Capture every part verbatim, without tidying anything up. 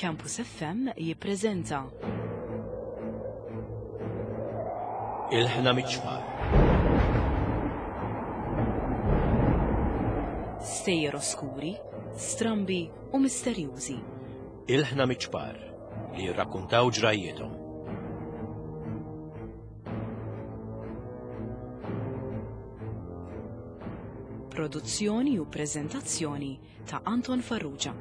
Campus F M jippreżenta Ilħna miċ-ċpar. Stejjer oskuri, strambi u misterjużi. Ilħna miċ-ċpar li jirrakkuntaw ġrajjietom. Produzzjoni u preżentazzjoni ta' Anton Farrugia.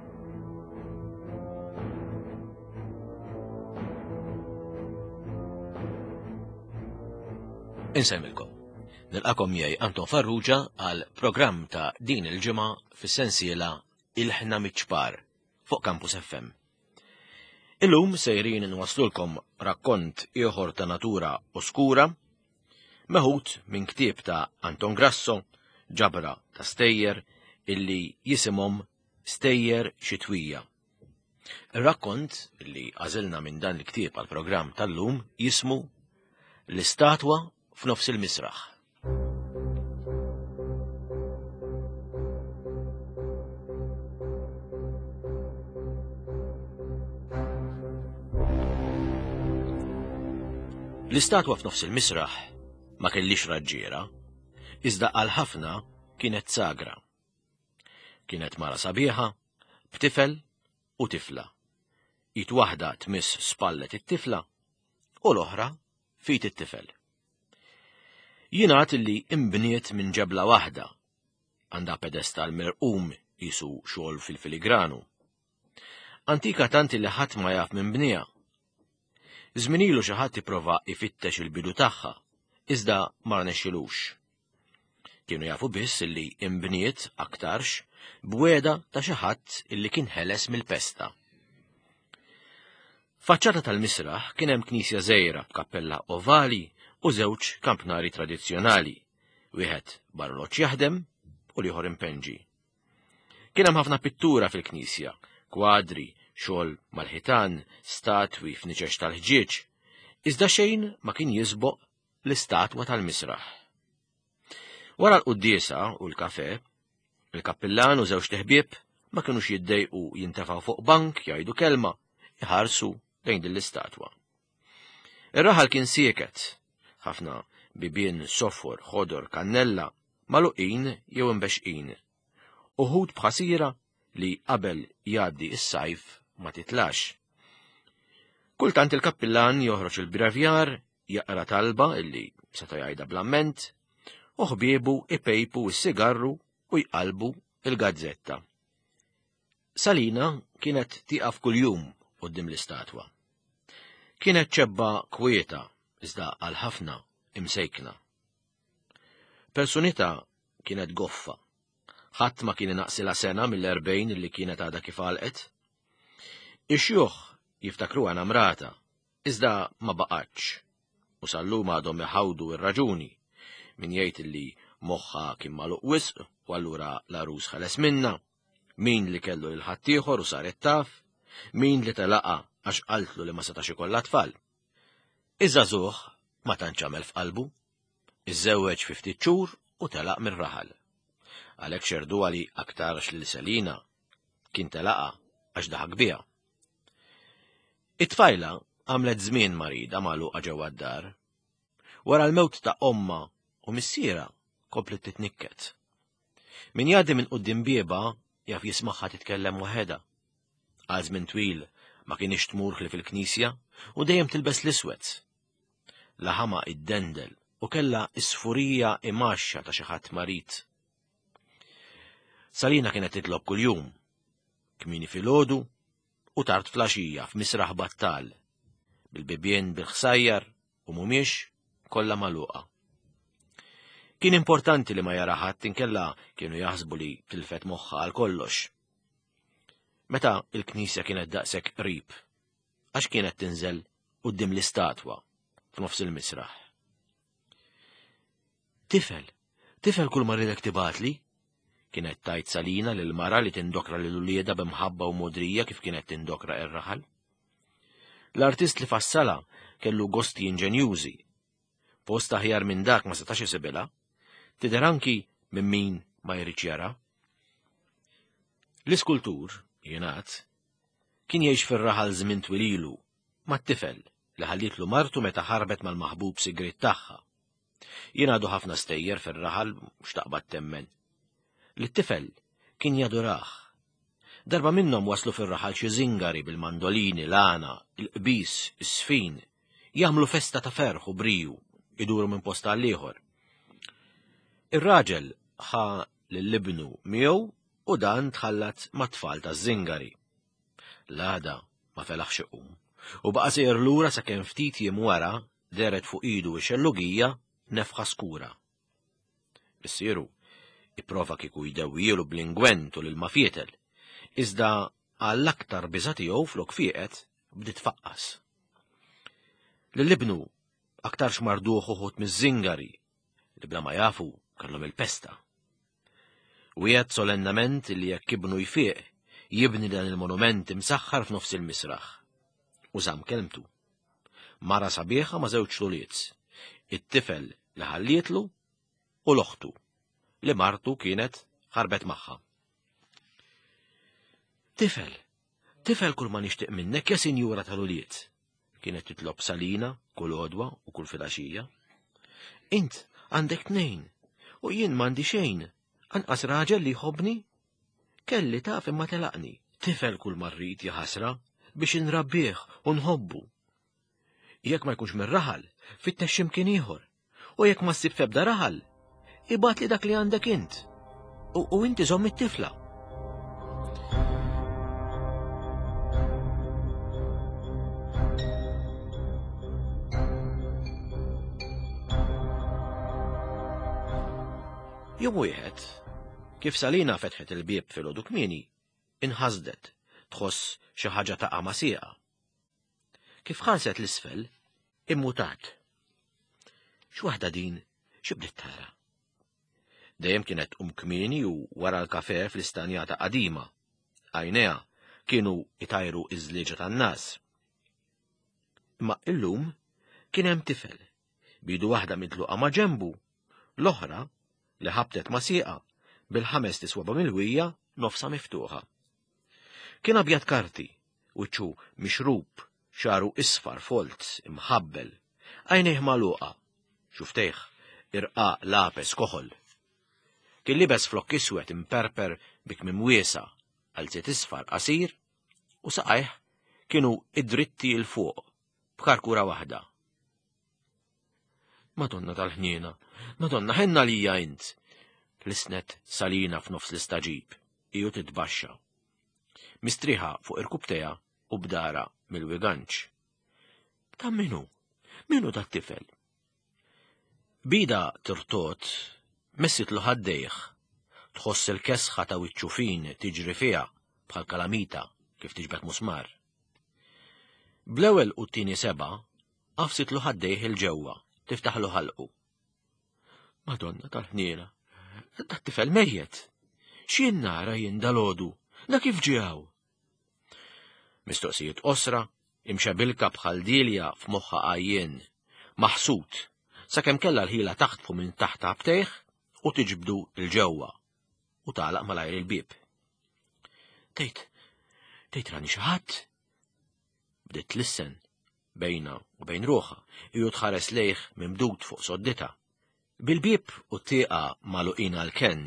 Insemmilkom. Nilqakom miegħi Anton Farrugia għal programm ta' din il-ġimgħa fis-sensiela Ilħna miċ-ċpar fuq Campus F M. Illum sejrin nwaslulkom rakkont ieħor ta' natura oskura, meħud minn ktieb ta' Anton Grasso, ġabra ta' stejjer illi jisimhom Stejjer Xitwija. Ir-rakkont li għażilna minn dan il-ktieb għal programm tal-lum jismu L-Istatwa f'nofs il-misraħ. L-istatwa f'nofs il-misraħ ma kellix raġġiera, iżda għal ħafna kienet sagra. Kienet mara sabiħa, b'tifel u tifla. It waħda tmiss spallet it-tifla u l-oħra fit it-tifel. Jingħad li imbniet minn ġebla waħda, għandha pedestal mirqum jisu xogħol fil-filigranu. Antika tant li ħadd ma jaf minn bniha. Żmien ilu xi ħadd ipprova ifittex il-bidu tagħha, iżda ma rnexxilux. Kienu jafu biss illi imbniet aktarx b'weda ta' xi ħadd illi kien ħeles mill-pesta. Faċċata tal-misraħ kien hemm knisja żgħira b'kappella ovali u żewġ kampnari tradizzjonali, wieħed barloċ jaħdem u l-ieħor impenġi. Kien hemm ħafna pittura fil-knisja, kwadri, xogħol mal-ħitan, statwi f'niċex tal-ħġieġ, iżda xejn ma kien jisboq l-istatwa tal-misraħ. Wara l-quddiesa u l-kafe, il-kappillan u żewġ teħbieb ma kinux jiddejqu jintefgħu fuq bank jgħidu kelma, iħarsu lejn din l-istatwa. Ir-raħal kien sieket, ħafna bibien sofor, ħodor, kannella, magħluqin jew imbexqin. Uħud b'ħasira li qabel jgħaddi s-sajf ma titlax. Kultant il-kappillan joħroġ il-brevjar, jaqra talba illi seta' jgħidha bl-amment, u ħbiebu ipejpu s-sigarru u jqalbu il-gazzetta. Salina kienet tieqaf kuljum quddiem l-istatwa. Kienet ċebba kwieta, iżda għal ħafna imsejkna. Personità kienet goffa. Ħadd ma kien inaqsilha sena mill-erbgħin li kienet għadha kif għalqet. Ix-xjuħ jiftakruha namrata, iżda ma baqgħetx, u sal-lum għadhom iħawdu r-raġuni. Min jgħid li moħħha kien magħluq wisq u allura l-għarus ħeles minna, min li kellu lil ħaddieħor u saret taf, min li telaqa għax qaltlu li ma setax ikollha tfal. Iż-żagħżugħ ma tantx għamel f'qalbu, iżżewweġ fi ftit xhur u telaq mir-raħal. Għalhekk xerduha li aktarx lil Selina kien telaqa għax daħak biha. It-tfajla għamlet żmien marida magħluqa ġewwa d-dar. Wara l-mewt ta' ommha u missiera komplet titnikket. Min jgħaddi minn quddiem bieba jaf jismagħha titkellem waħedha. Għal żmien twil ma kienx tmur ħlief fil-knisja u dejjem tilbes l-iswed. Laħama iddendel u kellha isfurija imaxxa ta' xi ħadd marid. Salina kienet titlob kuljum, kmieni filgħodu u tard flaxija f'misraħ battal, bil-bibien bil-ħsajjar u mhumiex kollha magħluqa. Kien importanti li ma jara ħadd inkella kienu jaħsbu li tilfet moħħha għal kollox. Meta il-knisja kienet daqshekk qrib, għax kienet tinżel quddiem l-istatwa f'nofs il-misraħ. Tifel, tifel kull ma rridek tibatli, kienet tajt Salina lil mara li tindokra lil uliedha b'imħabba u modrija kif kienet tindokra ir-raħal. L-artist li fassala kellu gosti inġenjużi. Post aħjar minn dak ma setax isibilha, tidher anki minn min ma jridx jara. L-iskultur, jingħad, Kien jgħix fir-raħal żmien twil ilu, mat-tifel li ħallietlu martu meta ħarbet mal-maħbub sigriet tagħha. Jingħadu ħafna stejjer fir-raħal mhux taqbad temmen. Lit-tifel kien jadurah. Darba minnhom waslu fir-raħal xi żingari bil-mandolini, l-għana, il-qbis, is-sfin, jagħmlu festa ta' ferħ u briju, iduru minn post għal ieħor. Ir-raġel ħa lil ibnu miegħu u dan tħallat mat-tfal taż-żingari. L-għada ma felaħx iqum u baqa' sejjer lura sakemm ftit jiem wara dehret fuq idu x-xellugija nefħa skura. Missieru ipprova kieku jdewwielu bl-ingwent u l-ilma fietel, iżda għall-aktar biża' tiegħu flok fieqet bdiet tfaqqas. Lil ibnu aktarx marduh uħud miż-żingari li bla ma jafu kellhom il-pesta. Wiegħed solennament li jekk ibnu jfieq jibni dan il-monument imsaħħar f'nofs il-misraħ. U żamm kelmtu. Mara sabiħa ma' żewġ ulied, it-tifel li ħallietlu u l-oħtu li martu kienet ħarbet magħha. Tifel, tifel kull ma nixtieq minnek ja sinjura tal-ulied, kienet titlob Salina kull għodwa u kull filgħaxija. Int għandek tnejn u jien m'għandi xejn, anqas raġel li jħobbni. Kelli taf imma telaqni. Tifel kull ma rrid ja ħasra biex inrabbih u nħobbu. Jekk ma jkunx mir-raħal, fittex x'imkien ieħor. U jekk ma ssib f'ebda raħal, ibgħatli dak li għandek int. U, u inti żomm it-tifla. Jum wieħed, kif Salina fetħet il-bieb filgħodu kmieni, inħasdet tħoss xi ħaġa taqa' ma' sieqa. Kif ħarset l-isfel, immutat. X'waħda din, xi bdiet tara? Dejjem kienet tqum kmieni u wara l-kafè fl-istanjata qadima. Għajnejha kienu itajru iż-żlieġa tan-nas. Imma illum kien hemm tifel, bidu waħda mitluqa ma' ġenbu, l-oħra li ħabtet ma' sieqa bil-ħames tiswaba mill-wija nofsa miftuħa. Kien abjad karti, wiċċu mixrub, xagħru isfar folt, imħabbel, għajnejh magħluqa, xuftejh irqaq lapes koħol. Kien libes flokk iswed imperper bi kmiem wiesa', qalziet isfar qasir, u saqajh kienu id-dritti 'l fuq b'karkura waħda. Madonna tal-ħniena, Madonna ħenna lija int, lisnet Salina f'nofs l-istaġib, iju titbaxxa. Mistriħa fuq irkubteja u bdara mill-wiganċ. Ta' minu? Minu dat tifel? Bida tirtot, messitlu ħaddejh, tħoss il-kesħa ta' wiċċu fin tiġri fiha bħal kalamita kif tiġbed musmar. Bl-ewwel u t-tieni seba' qafsitlu ħaddejh il-ġewwa, tiftaħlu ħalqu. Madonna tal-ħniena, dat tifel mejjet. X'jien nara jien dalodu, da kif ġie hawn? Mistoqsijiet qosra, imxebilka bħal dilja f'moħħa għajjien, maħsud, sakemm kellha l-ħila taħtfu minn taħt għabtejh u tiġbdu l-ġewwa u tagħlaq malajr il-bieb. Tgħid, tgħid rani xi ħadd? Bdiet tlissen bejna u bejn ruħha, iju tħares lejh mimdud fuq soddita. Bil-bieb u t-tieqa magħluqin għall-kenn,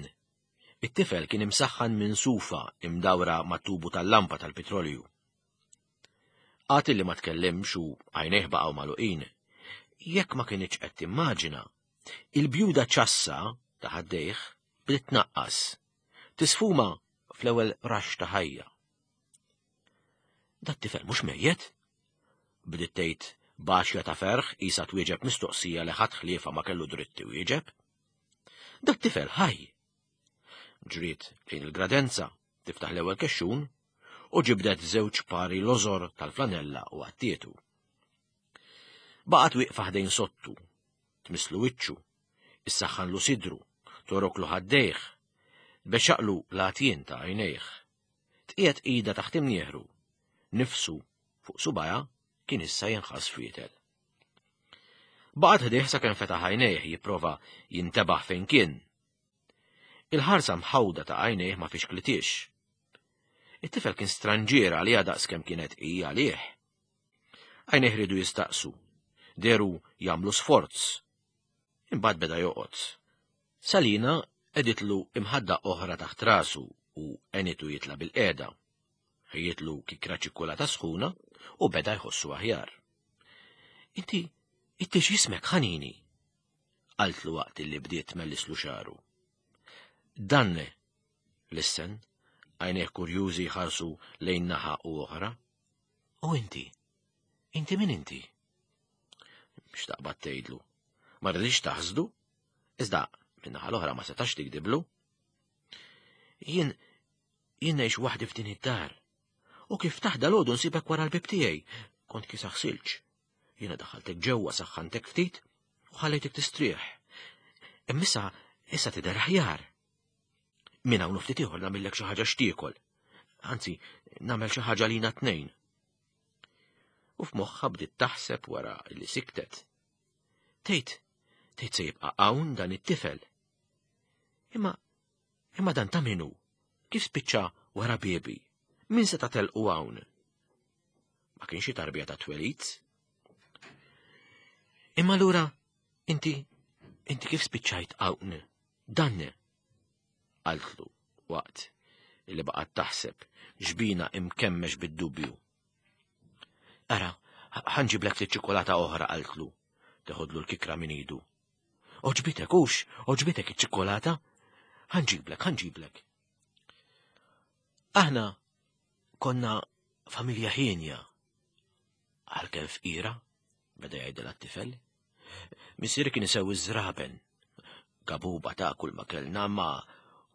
it-tifel kien imsaħħan minn sufa imdawra mat-tubu tal-lampa tal-petrolju. Għad li ma tkellimx u għajnejh baqgħu magħluqin, jekk ma kienx qed timmaġina, il-bjuda ċassa ta' ħaddejh bdiet tnaqqas, tisfuma fl-ewwel raxx ta' ħajja. Dat tifel mhux mejjet? Bdiet tgħid b'għaxja ta' ferħ qisha twieġeb mistoqsija li ħadd ħliefa ma kellu dritt iwieġeb. Dat tifel ħaj. Ġriet lejn il-gradenza, tiftaħ l-ewwel kexxun u ġibdet żewġ pari lożor tal-flanella u għattietu. Baqgħet wieqfa ħdejn sottu, tmisslu wiċċu, issaħħanlu sidru, toroklu ħaddejh, tbexxaqlu l-għatjien ta' għajnejh. Tqiegħed ida taħt imnieħru, nifsu fuq subajha kien issa jinħass fietel. Baqgħet ħdejh sakemm fetaħ għajnejh jipprova jintebaħ fejn kien. Il-ħarsa mħawda ta' għajnejh ma fixklitix. It-tifel kien stranġier għaliha daqskemm kienet hi għalih. Għajnejh riedu jistaqsu, dehru jagħmlu sforz. Imbagħad beda joqgħod. Salina qegħditlu imħadda oħra taħt rasu u għenitu jitla' bil-qiegħda. Ħejjitlu kikra ċikkulata sħuna u beda jħossu aħjar. Inti, inti x'ismek ħanini? Qaltlu waqt li bdiet tmellislu xagħru. Danne, lissen, għajnejh kurjużi jħarsu lejn naħa u oħra. U inti? Inti min inti? X'taqbad tgħidlu? Ma rridx taħsdu? Iżda min-naħa l-oħra ma setax tikdiblu. Jien jien ngħix waħdi f'din id-dar. U kif taħda l-għodu nsibek wara l-bib tiegħi, kont kiesaħ silġ. Jiena daħħaltek ġewwa saħħantek ftit u ħallejtek tistrieħ. Imma issa issa tidher aħjar. Minn hawn ftit ieħor nagħmillek xi ħaġa x'tiekol. Anzi, nagħmel xi ħaġa lina tnejn. U f'moħħha bdiet taħseb wara li siktet. Tgħid, tgħid se jibqa' hawn dan it-tifel. Imma imma dan ta' min hu? Kif spiċċa wara biebi? Min seta' telqu hawn? Ma kienx xi tarbija ta' twelid? Imma lura inti inti kif spiċċajt hawn? Danne? Qaltlu waqt li baqgħet taħseb ġbina imkemmex bid-dubju. Ara, ħa nġiblek ftit ċikolata oħra, qaltlu, teħodlu l-kikra minn idu. Għoġbitek hux, għoġbitek iċ-ċikolata? Ħa nġiblek, ħa nġiblek. Aħna konna familja hienja. Għalkemm fqira, beda jgħidilha t-tifel. Missieri kien isewwi ż-żraben. Gabuba ta' kull ma kellna, ma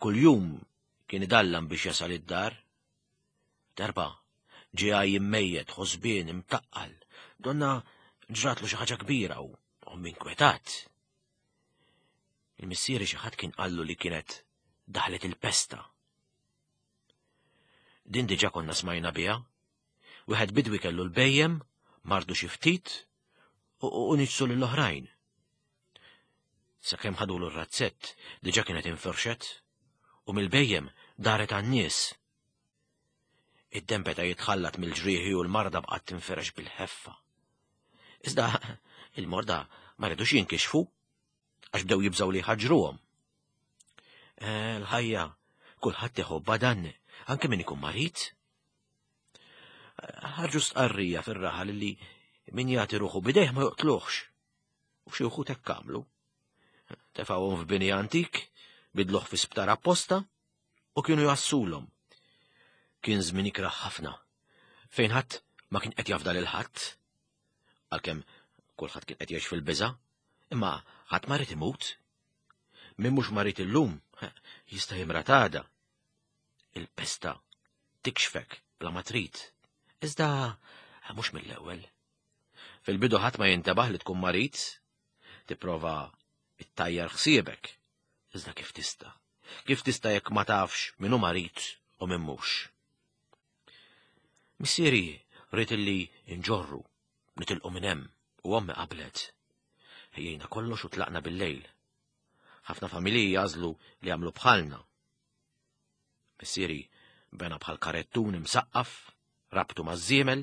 kuljum kien idallam biex jasal id-dar. Darba ġie għaj immejjet, ħosbien, imtaqqal. Donna ġratlu xi ħaġa kbira u ommi inkwetat. Il-missieri xi ħadd kien qallu li kienet daħlet il-pesta. Din diġà konna smajna biha. Wieħed bidwi kellu l-bejjem, mardu xi ftit u niġsu lill-oħrajn. Sakemm ħadulu r-razzett diġà kienet infirxet u mill-bejjem daret għan-nies. Id-demm beda jitħallat mill-ġrieħi u l-marda baqgħet tinfirex bil-ħeffa. Iżda il-morda ma ridux jinkixfu għax bdew jibżgħu li jħaġġruhom. L-ħajja kulħadd iħobbha dan, anke min ikun marid. Ħarġu stqarrija fir-raħal li min jagħti ruħu bidejh ma joqtluhx. U xi wħud hekk għamlu. Tefgħuhom f'bini antik, bidluh fi sptar apposta u kienu jassulhom. Kien żmien ikrah ħafna, fejn ħadd ma kien qed jafda lil ħadd. Għalkemm kulħadd kien qed jgħix fil-biża', imma ħadd ma ried imut. Min mhux marid illum jista' jimrad għada. Il-pesta tikxfek bla ma trid, iżda mhux mill-ewwel. Fil-bidu ħadd ma jintebaħ li tkun marid, tipprova ittajjar ħsiebek, iżda kif tista'? Kif tista' jekk ma tafx min hu marid u min mhux? Missieri ried illi nġorru, nitilqu minn hemm u ommi qablet. Ħejjejna kollox u tlaqna bil-lejl. Ħafna familji jagħżlu li jagħmlu bħalna. Missieri bena bħal karettun imsaqqaf, rabtu maż-żiemel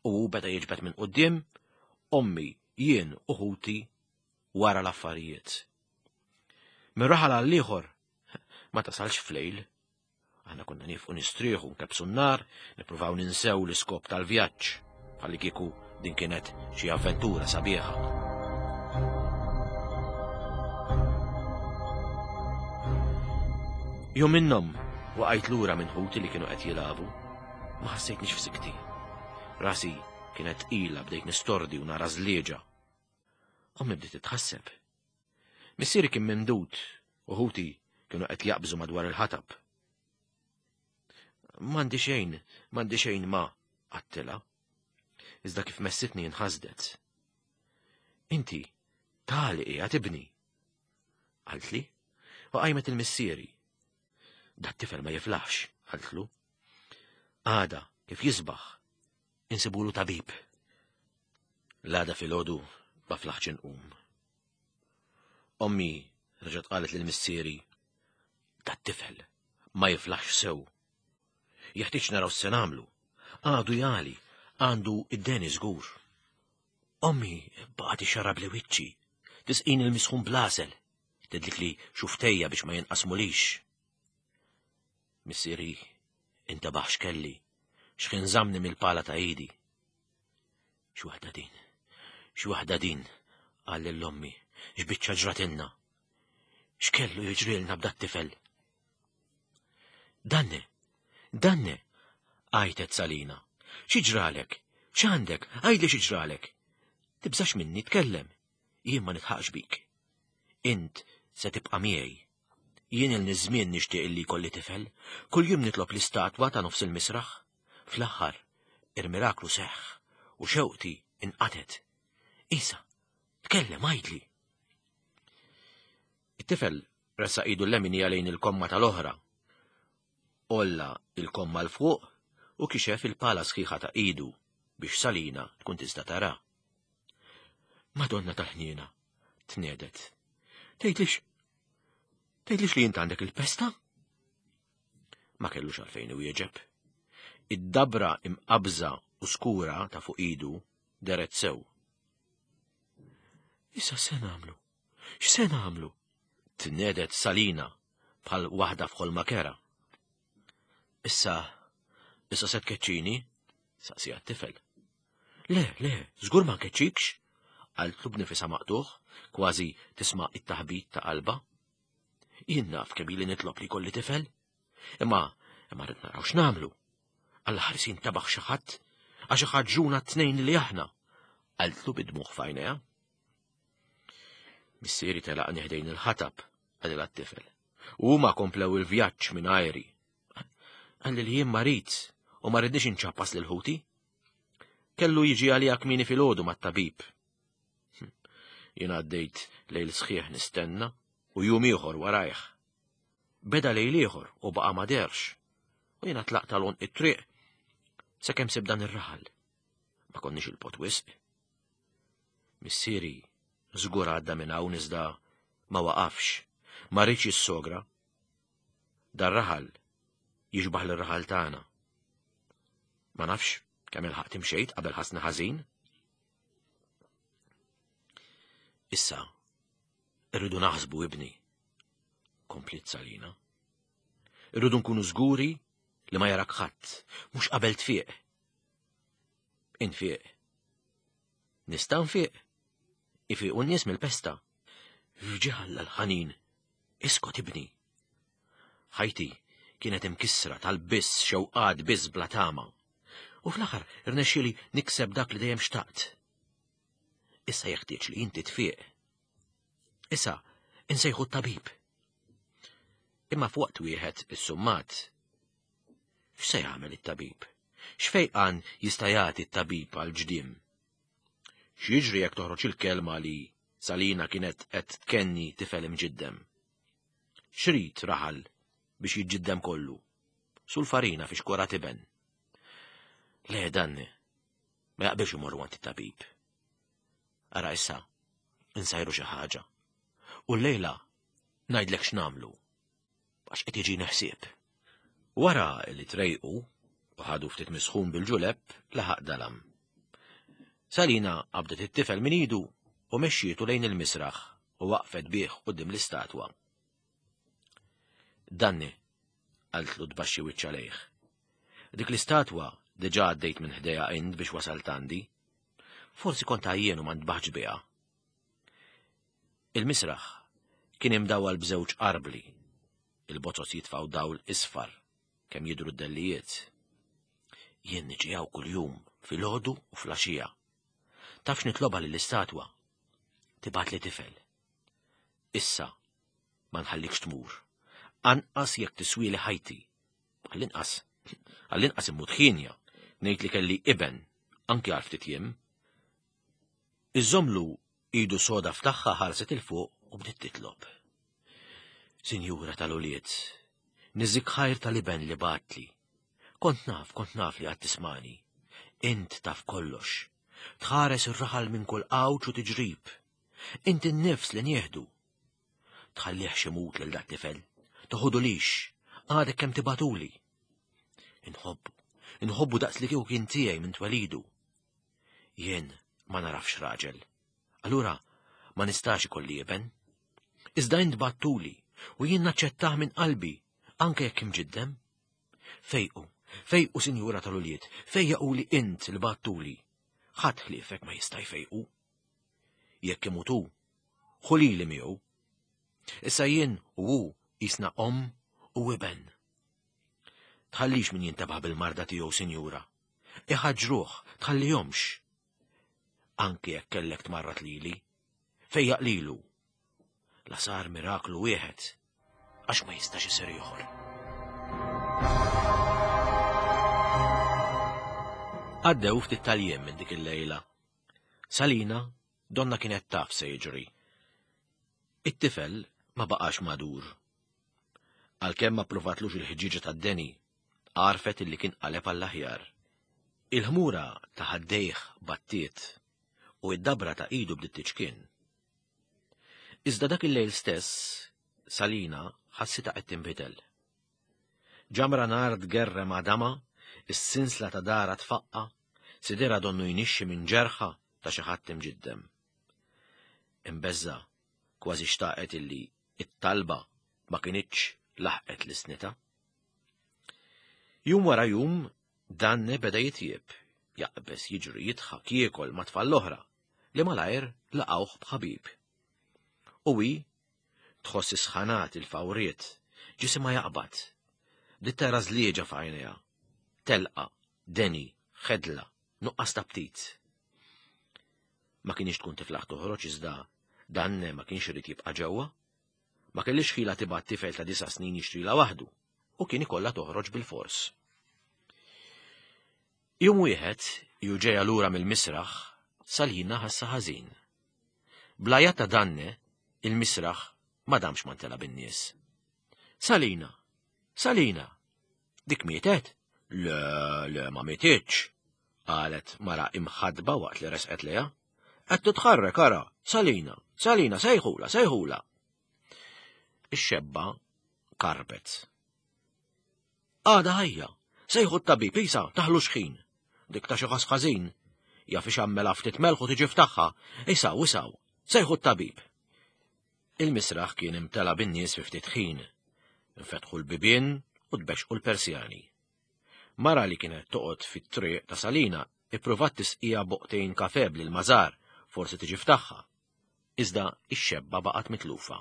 u hu beda jiġbed minn quddiem, ommi, jien u ħuti wara l-affarijiet. Minn raħal għal ieħor ma tasalx flejl. Aħna konna nifqu nistrieħu, nkebsu n-nar, nippruvaw ninsew l-iskop tal-vjaġġ, bħalli kieku din kienet xi avventura sabiħa. Jum minnhom waqajt lura minn ħuti li kienu qed jilagħbu. Ma ħassejtnix f'sikti. Rasi kienet tqila, bdejt nistordi u nara żlieġa. Ommi bdiet titħasseb. Missieri kien mimdud u ħuti kienu qed jaqbżu madwar il-ħatab. M'għandi xejn, m'għandi xejn ma, għattilha. Iżda kif messitni inħasdet. Inti, tali qiegħed ibni. Qaltli, u qajmet il-missieri. Dat tifel ma jiflaħx, qaltlu. Għada, kif jisbaħ, insibulu tabib. L-għada filgħodu ma flaħx inqum. Ommi reġgħet qalet lil missieri, dat tifel ma jiflaħx sew. Jeħtieġ naraw x'se nagħmlu. Għadu jali, għandu id-deni żgur. Ommi baqgħet ixxarrabli wiċċi, tisqini l-misħun bl-għasel, tidlikli xufftejja biex ma jinqasmulix. Missieri intabaħ x'kelli, x'ħin żammni mill-pala ta' idi. X'waħda din, x'waħda din, qal lil ommi, x'biċċa ġratilna. X'kellu jiġrilna b'dat-tifel? Danne, Danne, għajtet Salina. Xi ġralek? X'għandek? Għidli xi ġralek. Tibżax minni, tkellem. Jien ma nidħaqx bik. Int se tibqa' miegħi. Jien ilni żmien nixtieq illi jkolli tifel. Kull jum nitlob l-istatwa ta' nofs il-misraħ. Fl-aħħar, il-miraklu seħħ u xewqti inqatet. Isa, tkellem, għidli. It-tifel ressaq idu l-leminija lejn il-komma tal-oħra. Għolla il-komma 'l fuq u kixef il-pala sħiħa ta' idu biex Salina tkun tista' tara. Madonna tal-ħniena, tnehdet. Tgħidlix, tgħidlix li int għandek il-pesta? Ma kellux għalfejn iwieġeb. Id-dabra imqabża u skura ta' fuq idu dehret sew. Issa se nagħmlu? X'se nagħmlu? Tnehdet Salina bħal waħda f'ħolma kerha. Issa, issa se tkeċċini? Saqsieha t-tifel. Le, le, żgur ma nkeċċikx, qaltlu b'nifisha maqtugħ, kważi tisma' it-taħbit ta' qalbha. Jien naf kemm ili nitlob li jkolli tifel. Imma, imma rrid naraw x'nagħmlu. Alla ħares jintabaħ xi ħadd, għax iħaġġuna t-tnejn li aħna, qaltlu bid-dmugħ f'għajnejha. Missieri telaqni ħdejn il-ħatab, qalilha t-tifel. U huma komplew il-vjaġġ minn għajri. Qalli li jien marid u ma ridniex inċappas lil ħuti. Kellu jiġi għalija kmieni filgħodu mat-tabib. Hm, jien għaddejt lejl sħiħ nistenna u jum ieħor warajh. Beda lejl ieħor u baqa' ma dehrx. U jiena tlaqt għal it-triq sakemm sib dan ir-raħal. Ma konniex 'il bogħod wisq. Missieri żgur għadda minn hawn iżda ma waqafx, ma riedx jissogra. Dar-raħal jixbaħ lir-raħal tagħna. Ma nafx kemm ilħaqt imxejt qabel ħassni ħażin. Issa, irridu naħsbu ibni, kompliet Salina. Irridu nkunu żguri li ma jarak ħadd, mhux qabel tfiq. Infiq. Nista' nfiq. Ifiqu n-nies mill-pesta. F'ġieħ Alla l-ħanin, iskot ibni. Ħajti kienet imkissra tal-biss xewqat biss bla tama. U fl-aħħar irnexxieli nikseb dak li dejjem xtaqt. Issa jeħtieġ li inti tfiq. Issa insejħu t-tabib. Imma f'waqt wieħed is-summat. X'se jagħmel it-tabib? X'fejqan jista' jagħti t-tabib għal ġdiem? X'jiġri jekk toħroġ il-kelma li Salina kienet qed tkenni tifel imġiddem? X'rid raħal biex jiġġiddem kollu? Sul farina fi xkora tiben. Le, danni, ma jaqbilx imorru għand it-tabib. Ara issa, insajru xi ħaġa. U llejla ngħidlek x'nagħmlu, għax qed jiġini ħsieb. Wara li trejqu u ħadu ftit misħun bil-ġuleb, laħaq dalam. Salina qabdet it-tifel minn idu u mexxietu lejn il-misraħ u waqfet bih quddiem l-istatwa. Danni, qaltlu tbaxxi wiċċha lejh. Dik l-istatwa diġà għaddejt minn ħdejha int biex wasalt għandi. Forsi kont għajjien u ma ntbaħtx biha. Il-misraħ kien imdawwal b'żewġ arbli. Il-bozoz jitfaw dawl isfar kemm jidhru d-dellijiet. Jien niġi hawn kuljum filgħodu u filgħaxija. Taf x'nitlobha lill-istatwa? Tibgħatli tifel. Issa ma nħallikx tmur. Anqas jekk tiswili ħajti. Għall-inqas, għall-inqas immut ħienja, ngħid li kelli iben, anki għal ftit jiem. Iżżommlu idu soda f'tagħha ħarset 'il fuq u bdiet titlob. Sinjura tal-ulied, niżżik ħajr tal-iben li bgħattli. Kont naf, kont naf li għad tismagħni. Int taf kollox. Tħares ir-raħal minn kull għawġ u tiġrib. Int in-nifs li nieħdu. Tħallihx imut lil dat-tifel. Toħodulix, għadek kemm tibgħatuli. Inħobbu, inħobbu daqs li kieku kien tiegħi minn twelidu. Jien ma narafx raġel. Allura ma nistax ikolli iben. Iżda int bgħattuli u jien naċċettah minn qalbi, anke jekk imġiddem. Fejqu, fejqu sinjura tal-ulied, fejjaquli int li bgħattuli. Ħadd ħliefek ma jista' jfejqu. Jekk imut hu, ħu lili miegħu. Issa jien u hu qisna omm u iben. Tħallix min jintebaħ bil-marda tiegħu, sinjura. Iħaġġruh, tħallihomx. Anki jekk kellek tmarrad lili, fejjaq lilu. La sar miraklu wieħed, għax ma jistax isir ieħor. Għaddew ftit tal-jiem minn dik il-lejla. Salina donna kienet taf se jiġri. It-tifel ma baqax madur. Għalkemm ma pruvatlux il-ħġieġa tad-deni, għarfet illi kien qaleb għall-aħjar. Il-ħmura ta' ħaddejh battiet u id-dabra ta' idu bdiet tiċkien. Iżda dak il-lejl stess, Salina ħassitha qed tinbidel. Ġamra nar tgerrem għadama, is-sinsla ta' dara tfaqqa, sidira donnu jnixxi minn ġerħa ta' xi ħadd imġiddem. Imbeżża' kważi xtaqet illi it-talba ma kinitx laħqet l-isnita. Jum wara jum, Danne beda jitjieb, jaqbes, jiġri, jidħak, jiekol ma' tfal l-oħra, li malajr laqgħuh b'ħabib. U hi tħoss is-sħanat, il-fawriet, ġisimha jaqbad. Bdiet tara żlieġa f'għajnejha, telqa, deni, ħedla, nuqqas ta' ptit. Ma kienx tkun tiflaħ toħroġ iżda Danne ma kienx irid jibqa' ġewwa. Ma kellix ħila tibgħat tifel ta' disa' snin jixtrila waħdu u kien ikollha toħroġ bil-fors. Jum wieħed, ju ġejja lura mill-misraħ, Salina ħassa ħażin. Bl-għajat ta' Danne, il-misraħ ma damx ma ntela bin-nies. Salina, Salina, dik mietet? Le, le, ma mietitx, qalet mara imħadba waqt li resqet leha. Qed titħarrek ara, Salina, Salina, sejħula, sejħula. Ix-xebba karbet. Għada ħajja, sejħu t-tabib, isa, taħlu xħin. Dik ta' xi ħass ħażin, jaf ixammela ftit melħu tiġi ftaħħa, isaw, isaw, sejħu t-tabib. Il-misraħ kien imtela bin-nies fi ftit ħin. Infetħu l-bibien u tbexqu l-Persjani. Mara li kienet toqgħod fit-triq ta' Salina ippruvat tisqija boqtejn kafe lil mażar, forsi tiġi ftaħħa. Iżda ix-xebba baqgħet mitlufa.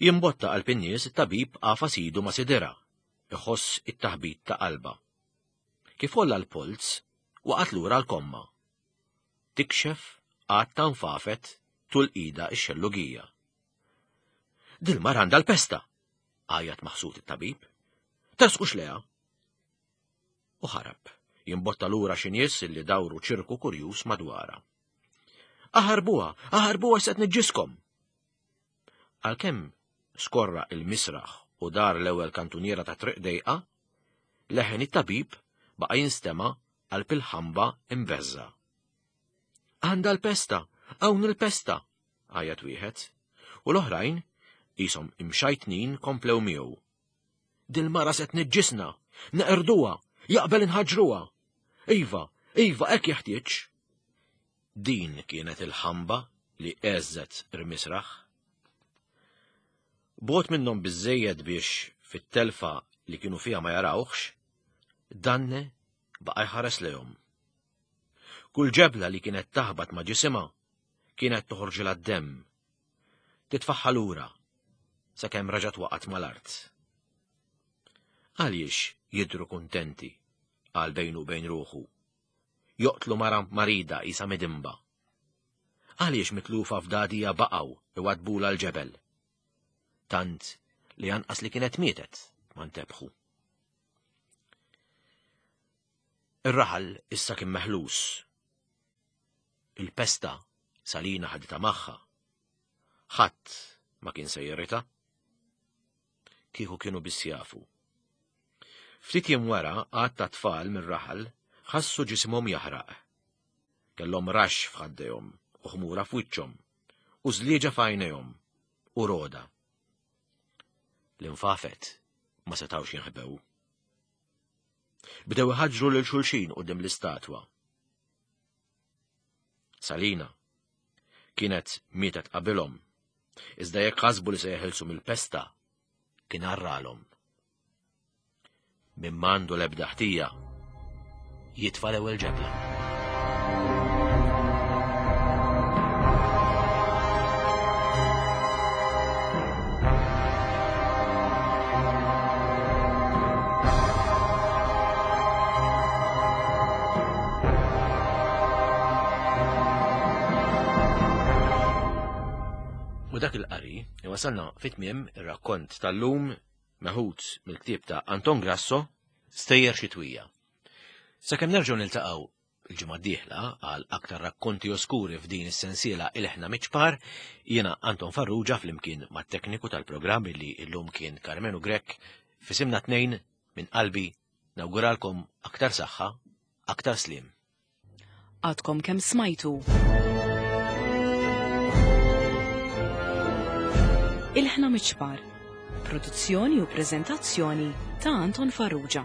Jimbotta qalb in-nies it-tabib għafas idu ma' sidira, iħoss it-taħbit ta' qalba. Kif olla l-polz, waqgħet lura l-komma. Tikxef għad tanfafet tul ida x-xellugija. Dil-mara għandha l-pesta, għajat maħsud it-tabib. Tersqux leha. U ħarab, jimbotta lura xi nies li dawru ċirku kurjuż madwarha. Aħarbuha, aħarbuha se tniġġiskom. Għalkemm skorra il-misraħ u dar l-ewwel kantuniera ta' triq dejqa, leħen it-tabib baqa' jinstema' qalb il-ħamba imbeżża. Għandha l-pesta, hawn il-pesta, għajat wieħed, u l-oħrajn qishom imxajtnin komplew miegħu. Dil-mara se tniġġisna, neqirduha, jaqbel inħaġruha. Iva, iva, hekk jeħtieġ. Din kienet il-ħamba li għeżżet ir-misraħ. Bot minnhom biżżejjed biex fit-telfa li kienu fiha ma jarawhx, Danne baqa' jħares lejhom. Kull ġebla li kienet taħbat ma' ġisimha kienet toħorġilha d-demm. Titfaħħa lura sakemm raġat waqgħet mal-art. Għaliex jidhru kuntenti, qal bejnu u bejn ruħu. Joqtlu mara marida isa midimba. Għaliex mitlufa f'dadija baqgħu iwadbula l-ġebel. Tant li anqas li kienet mietet ma ntebħu. Ir-raħal issa kien meħlus. Il-pesta Salina ħaditha magħha. Ħadd ma kien se jirrita. Kieku kienu biss jafu. Ftit jiem wara għadd ta' tfal mir-raħal ħassu ġisimhom jaħraq. Kellhom raxx f'ħaddejhom u ħmura f'wiċċhom u żlieġa f'għajnejhom u roda. L-infafet ma setgħux jinħbew. Bdew iħaġġru lil xulxin quddiem l-istatwa. Salina kienet mietet qabilhom, iżda jekk ħasbu li se jeħilsu mill-pesta, kien arralhom. Min m'għandu l-ebda ħtija, jitfa' l-ewwel ġebla. U dak il-qari wasalna fit-tmiem ir-rakkont tal-lum meħud mill-ktieb ta' Anton Grasso, Stejjer Xitwija. Sakemm nerġgħu niltaqgħu il-ġimgħa d-dieħla għal aktar rakkonti oskuri f'din is-sensiela Ilħna Miċpar, jiena Anton Farrugia flimkien mat-tekniku tal-programm li llum kien Karmenu Grech, f'isimna tnejn minn qalbi nawguralkom aktar saħħa, aktar sliem. Għadkom kemm smajtu. Ilħna Miċpar, produzzjoni u preżentazzjoni ta' Anton Farrugia.